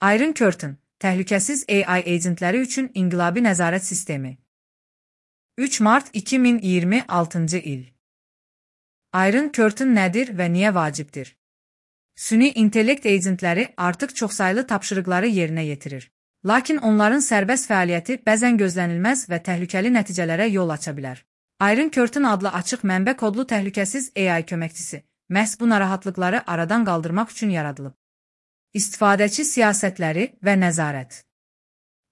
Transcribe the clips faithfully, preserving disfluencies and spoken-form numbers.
Iron Curtain, təhlükəsiz A I agentləri üçün inqilabi nəzarət sistemi. üç mart iki min iyirmi altıncı il. Iron Curtain nədir və niyə vacibdir? Süni intellekt agentləri artıq çoxsaylı tapşırıqları yerinə yetirir. Lakin onların sərbəst fəaliyyəti bəzən gözlənilməz və təhlükəli nəticələrə yol aça bilər. Iron Curtain adlı açıq mənbə kodlu təhlükəsiz A I köməkçisi məhz bu narahatlıqları aradan qaldırmaq üçün yaradılıb. İstifadəçi siyasətləri və nəzarət.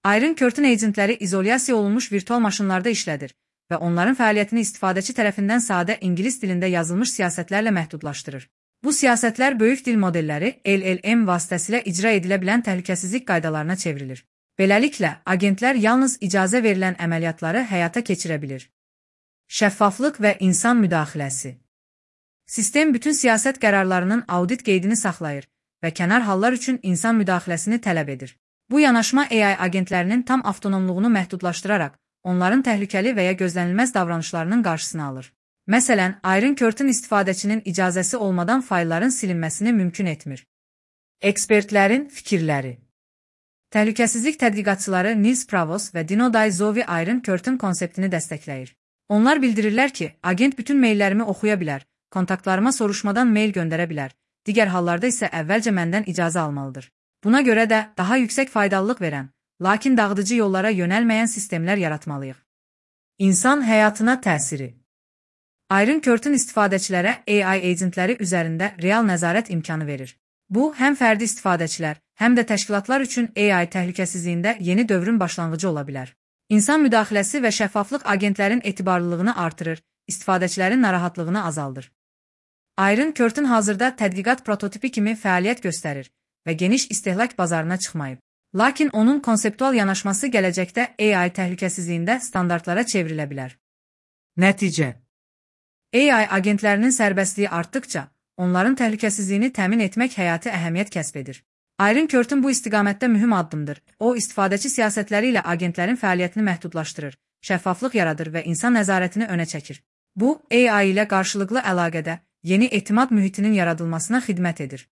Iron Curtain agentləri izolyasiya olunmuş virtual maşınlarda işlədir və onların fəaliyyətini istifadəçi tərəfindən sadə ingilis dilində yazılmış siyasətlərlə məhdudlaşdırır. Bu siyasətlər böyük dil modelləri L L M vasitəsilə icra edilə bilən təhlükəsizlik qaydalarına çevrilir. Beləliklə, agentlər yalnız icazə verilən əməliyyatları həyata keçirə bilir. Şəffaflıq və insan müdaxiləsi. Sistem bütün siyasət qərarlarının audit qeydini saxlayır və kənar hallar üçün insan müdaxiləsini tələb edir. Bu yanaşma A I agentlərinin tam avtonomluğunu məhdudlaşdıraraq, onların təhlükəli və ya gözlənilməz davranışlarının qarşısını alır. Məsələn, Iron Curtain istifadəçinin icazəsi olmadan faylların silinməsini mümkün etmir. Ekspertlərin fikirləri. Təhlükəsizlik tədqiqatçıları Nils Pravos və Dino Daizovi Iron Curtain konseptini dəstəkləyir. Onlar bildirirlər ki, agent bütün maillərimi oxuya bilər, kontaktlarıma soruşmadan mail göndərə bilər, digər hallarda isə əvvəlcə məndən icazə almalıdır. Buna görə də daha yüksək faydalılıq verən, lakin dağıdıcı yollara yönəlməyən sistemlər yaratmalıyıq. İnsan həyatına təsiri. Iron Curtain istifadəçilərə A I agentləri üzərində real nəzarət imkanı verir. Bu, həm fərdi istifadəçilər, həm də təşkilatlar üçün A I təhlükəsizliyində yeni dövrün başlanğıcı ola bilər. İnsan müdaxiləsi və şəffaflıq agentlərin etibarlılığını artırır, istifadəçilərin narahatlığını azaldır. Iron Curtain hazırda tədqiqat prototipi kimi fəaliyyət göstərir və geniş istehlak bazarına çıxmayıb. Lakin onun konseptual yanaşması gələcəkdə A I təhlükəsizliyində standartlara çevrilə bilər. Nəticə. A I agentlərinin sərbəstliyi artdıqca, onların təhlükəsizliyini təmin etmək həyati əhəmiyyət kəsb edir. Iron Curtain bu istiqamətdə mühüm addımdır. O, istifadəçi siyasətləri ilə agentlərin fəaliyyətini məhdudlaşdırır, şəffaflıq yaradır və insan nəzarətini önə çəkir. Bu, A I ilə qarşılıqlı əlaqədə yeni etimad mühitinin yaradılmasına xidmət edir.